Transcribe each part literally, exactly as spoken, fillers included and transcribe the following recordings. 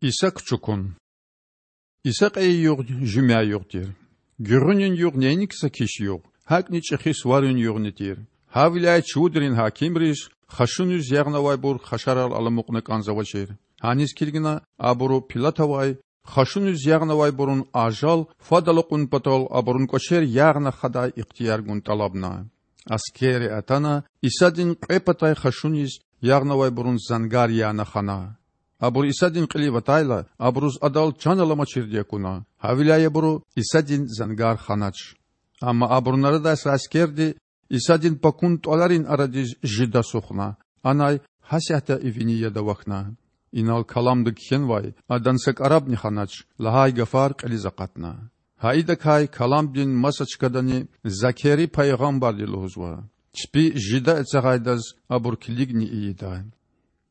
Иса кучукун. Иса кьейи югъ жуьмяй югъ тир. Гуьгъуьнин югъ нейни кса киш югъ, гьакӀни чӀехи суварин югъни тир. Гьавиляй чувудрин гьакимриз хашуниз ягънавайбур хашарал аламукьна кӀанзавачир. Гьаниз килигна абуру Пилатавай хашуниз ягънавайбурун ажал фадал акьун патал абурун кӀвачер ягъна хадай ихтияр гун тӀалабна. Аскерри атана Исадин кьве патай хашуниз ягънавайбурун зангар яна хана. Абур Исадин кьилив атайла, абуруз Адал чан аламачирди акуна, гьавиляй абуру Исадин зангар ханач. Амма абурун арадай са аскерди Исадин пакун тӀваларин арадиз жида сухна, анай гьасятда и вини яд авахьна. Инал каламда кхьенвай: Адан са кӀарабни ханач лагьай гафар кьилиз акъатна. Гьа идакай каламдин маса чкадани Закери пайгъамбарди лугьузва. Чпи жида эцягъайдаз абур килигни ийида.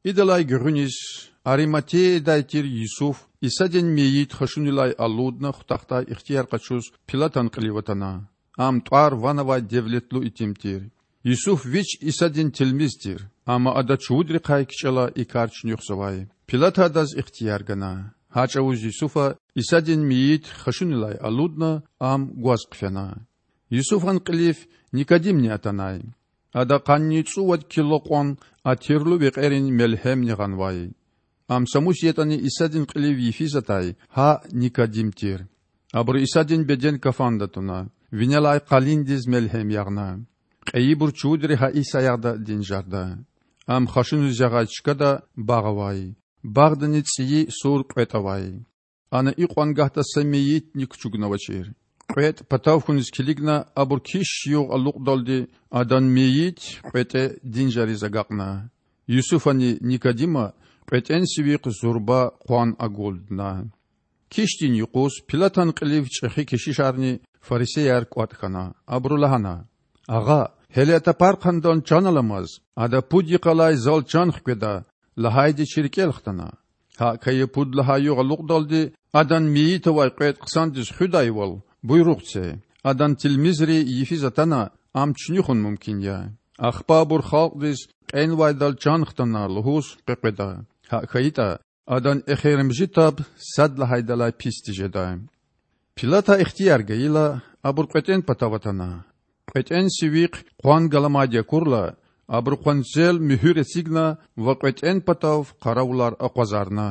Идалай гуьгъуьниз Ариматеядай тир Юсуф Исадин мейит хашунилай алудна хутахдай ихтияр къачуз Пилатан кьилив атана. Ам тӀвар-ван авай девлетлу итим тир. Юсуф вич Исадин тилмиз тир, амма ада чувудрихъай кичӀела и кар чуьнуьхзавай. Пилата адаз ихтияр гана. Гьа чӀавуз Юсуфа Исадин мейит хашунилай алудна, ам гваз хъфена. Юсуфан кьилив Никодимни атанай. Ада къанни цӀувад кило кьван атирлу векьерин мелгьемни гъанвай. Ам са мус ятӀани Исадин кьилив йифиз атай гьа Никодим тир. Абуру Исадин беден кафанда туна, винелай къалиндиз мелгьем ягъна. Кьейибур чувудри гьа и саягъда динжарда. Ам хашуниз ягъай чкада багъ авай. Багъдани цӀийи сур кьветӀ авай. Ана икьван гагьда са мейитни кучукнавачир. КьветӀ патав хьуниз килигна, абур киш югъ алукьдалди адан мейит кьветӀе динжариз агакьна. Юсуфани Никодима кьветӀен сивихъ зурба къван агулдна. Кишдин юкъуз Пилатан кьилив чӀехи кешишарни фарисеяр кӀватӀ хьана. Абуру лагьана: Агъа, гьеле а тапархъандан чан аламаз, ада пуд йикъалай зал чан хкведа лагьайди чи рикӀел хтана. ГьакӀ хьайи пуд лагьай югъ алукьдалди адан мейит авай кьветӀ хъсандиз хуьдайвал, буйругъ це, адан тилмизри йифиз атана, ам чуьнуьхун мумкин я. Ахпа абур халкьдиз кьенвайдал чан хтана лугьуз къекъведа. ГьакӀ хьайитӀа, адан эхиримжи таб сад лагьайдалай пис тежеда. Пилата ихтияр гайила, абур кьветӀен патав атана. КьветӀен сивихъ къван галамайди акурла, абуру къванцел муьгьуьр эцигна ва кьветӀен патав къаравулар акъвазарна.